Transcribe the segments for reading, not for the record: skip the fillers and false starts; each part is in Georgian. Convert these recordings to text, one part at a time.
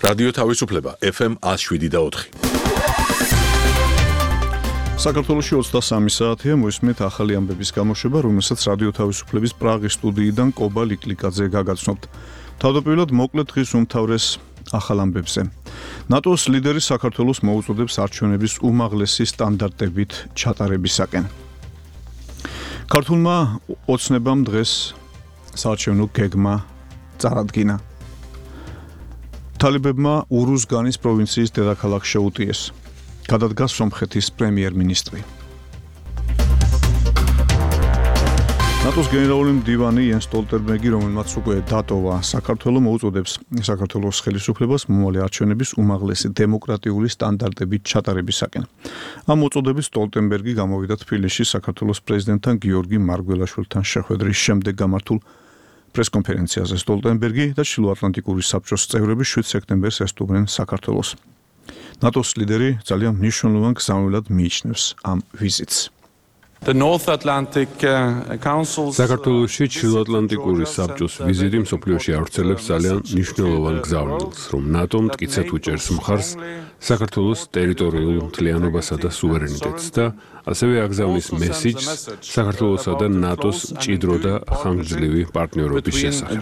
რადიო თავისუფლება FM 107.4. საქართველოში 23 საათია მოისმენთ ახალი ამბების გამოშვება, რომელსაც რადიო თავისუფლების პრაღის სტუდიიდან კობა ლიკლიკაძე გაგაცნობთ. თავდაპირველად მოკლედ დღის უმთავრეს ახალ ამბებზე. ნატოს ლიდერი საქართველოს მოუწოდებს არჩევნების უმაღლესი სტანდარტებით ჩატარებისაკენ. ქართულმა ოცნებამ დღეს საარჩევნო გეგმა წარადგინა. თალიბებმა ურუზგანის პროვინციის დედაქალაქს შეუტიეს. გადადგა სომხეთის პრემიერ-მინისტრი. ნატოს გენერალური მდივანი იენს სტოლტენბერგი, რომელმაც უკვე დატოვა საქართველოს, მოუწოდებს საქართველოს ხელისუფლებას მომავალი არჩევნების უმაღლესი დემოკრატიული სტანდარტებით ჩატარებისაკენ. ამ მოწოდებით სტოლტენბერგი გამოვიდა თბილისში საქართველოს პრეზიდენტთან გიორგი მარგველაშვილთან შეხვედრის შემდეგ გამართულ პრესკონფერენციაზე. სტოლტენბერგი და ჩრდილოატლანტიკური საბჭოს წევრები 7 სექტემბერს ესტუმრნენ საქართველოს. ნატოს ლიდერი ძალიან მნიშვნელოვან გზავნილად მიიჩნევს ამ ვიზიტს. საქართველოში ჩრდილოატლანტიკური საბჭოს ვიზიტი მსოფლიოში ავრცელებს ძალიან მნიშვნელოვან გზავნილს, რომ ნატომ მტკიცედ უჭერს მხარს საქართველოს ტერიტორიულ მთლიანობასა და სუვერენიტეტს და ასევე აგზავნის მესიჯს საქართველოსა და ნატოს მჭიდრო და ხანგრძლივი პარტნიორობის შესახებ.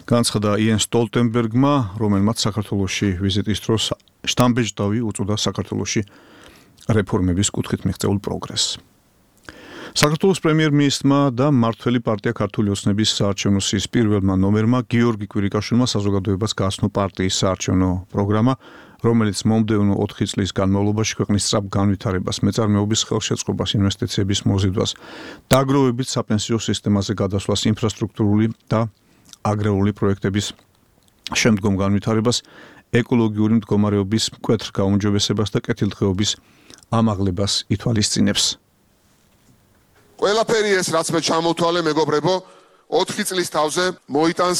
განცხადა იენს სტოლტენბერგმა, რომელმაც საქართველოში ვიზიტის დროს შტამბეჭდავი უწოდა საქართველოში რეფორმების კუთხით მიღწეულ პროგრესს. საქართველოს პრემიერ-მინისტრმა და მმართველი პარტია ქართული ოცნების საარჩევნო სიის პირველმა ნომერმა გიორგი კვირიკაშვილმა საზოგადოებას გააცნო პარტიის საარჩევნო პროგრამა, რომელიც მომდევნო 4 წლის განმავლობაში ქვეყნის სწრაფ განვითარებას, მეწარმეობის ხელშეწყობას, ინვესტიციების მოზიდვას, დაგროვებით საპენსიო სისტემაზე გადასვლას, ინფრასტრუქტურული და აგრარული პროექტების შემდგომ განვითარებას, ეკოლოგიური მდგომარეობის მკვეთრ გაუმჯობესებას და კეთილდღეობის ამაღლებას ითვალისწინებს. ყველაფერი ეს, რაც მე ჩამოთვალე, მეგობრებო, 4 წლის თავზე მოიტანს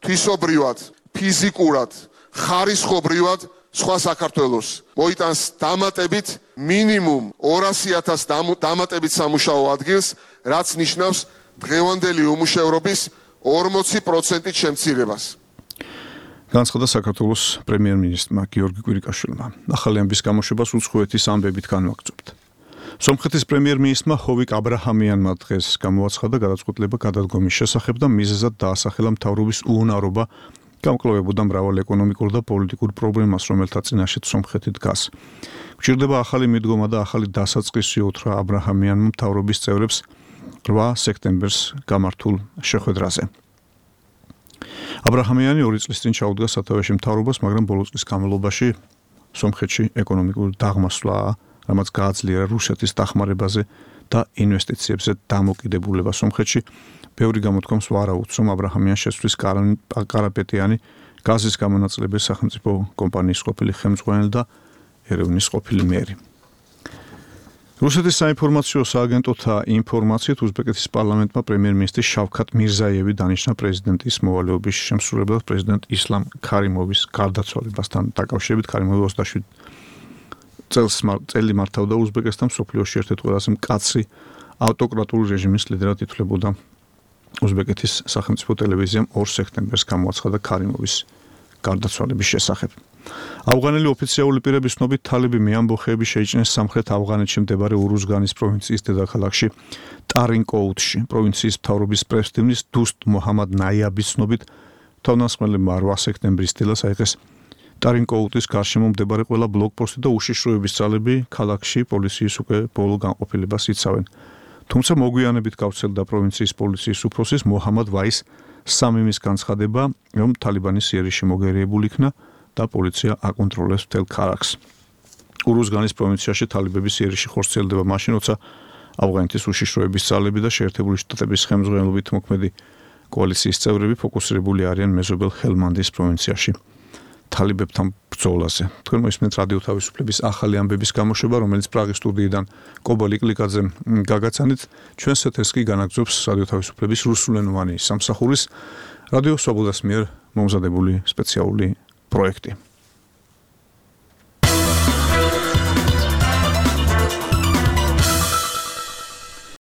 თვისობრივად, ფიზიკურად, ხარისხობრივად სხვა საქართველოს. მოიტანს დამატებით მინიმუმ 200,000 დამატებით სამუშაო ადგილს, რაც ნიშნავს დღევანდელი უმუშევრობის 40% შემცირებას. განცხადა საქართველოს პრემიერ-მინისტრმა გიორგი კვირიკაშვილმა. ახალი ამბის გამოშვებას უცხოეთის ამბებით განვაგრძობთ. სომხეთის პრემიერ-მინისტრმა ჰოვიკ აბრაჰამიანმა დღეს გამოაცხადა გადაწყვეტილება გადადგომის შესახებ და მიზეზად დაასახელა მთავრობის უუნარობა გამკლავებოდა მრავალ ეკონომიკურ და პოლიტიკურ პრობლემას, რომელთა წინაშეც სომხეთი დგას. გვჭირდება ახალი მიდგომა და ახალი დასაწყისი, უთხრა აბრაჰამიანმა მთავრობის წევრებს 8 სექტემბერს გამართულ შეხვედრაზე. აბრაჰამიანი 2 წლის წინ ჩაუდგა სათავეში მთავრობას, მაგრამ ბოლო წლის განმავლობაში სომხეთში ეკონომიკური დაღმასვლაა, რამაც გააძლიერა რუსეთის დახმარებაზე და ინვესტიციებზე დამოკიდებულება სომხეთში. ბევრი გამოთქვამს ვარაუდს, რომ აბრაჰამიანს შეცვლის კარაპეტიანი გაზის გამონაწილების სახელმწიფო კომპანიის ყოფილი ხელმძღვანელი და ერევნის ყოფილი მერი. რუსეთის საინფორმაციო სააგენტოთა ინფორმაციით უზბეკეთის პარლამენტმა პრემიერ-მინისტრი შავქათ მირზაიევი დანიშნა პრეზიდენტის მოვალეობის შემსრულებლად პრეზიდენტ ისლამ ქარიმოვის გარდაცვალებასთან დაკავშირებით. ქარიმოვი 27 წელი მართავდა უზბეკეთს და მსოფლიოში ერთ-ერთ ყველაზე მკაცრი ავტოკრატული რეჟიმის ლიდერად ითვლებოდა. უზბეკეთის სახელმწიფო ტელევიზიამ 2 სექტემბერს გამოაცხადა ქარიმოვის გარდაცვალების შესახებ. ავღანელი ოფიციალური პირების ცნობით, თალიბი მეამბოხეები შეიჭრნენ სამხრეთ ავღანეთში მდებარე ურუზგანის პროვინციის დედაქალაქში ტარინკოუთში. პროვინციის მთავრობის პრესდივნის დუსტ მოჰამად ნაიაბის ცნობით, თავდამსხმელებმა 8 სექტემბრის დილას აიღეს ტარინკოუთის გარშემო მდებარე ყველა ბლოკპოსტი და უშიშროების ძალები ქალაქში პოლიციის უკვე ბოლო განყოფილებას იცავენ. თუმცა მოგვიანებით გავრცელდა პროვინციის პოლიციის უფროსის მოჰამად ვაის სამიმის განცხადება, რომ თალიბანის იერიში მოგერიებული იქნა და პოლიცია აკონტროლებს მთელ ქალაქს. ურუზგანის პროვინციაში თალიბების იერიში ხორციელდება მაშინ, როცა ავღანეთის უშიშროების ძალები და შეერთებული შტატების ხელმძღვანელობით მოქმედი კოალიციის წევრები ფოკუსირებული არიან მეზობელ ჰელმანდის პროვინციაში თალიბებთან ბრძოლაზე. თქვენ მოისმენთ რადიო თავისუფლების ახალი ამბების გამოშვება, რომელიც პრაღის სტუდიიდან კობა ლიკლიკაძემ გაგაცანით. ჩვენს ეთერს კი განაგრძობს რადიო თავისუფლების რუსულენოვანი სამსახურის რადიო სვაბოდას მიერ მომზადებული სპეციალური პროექტი.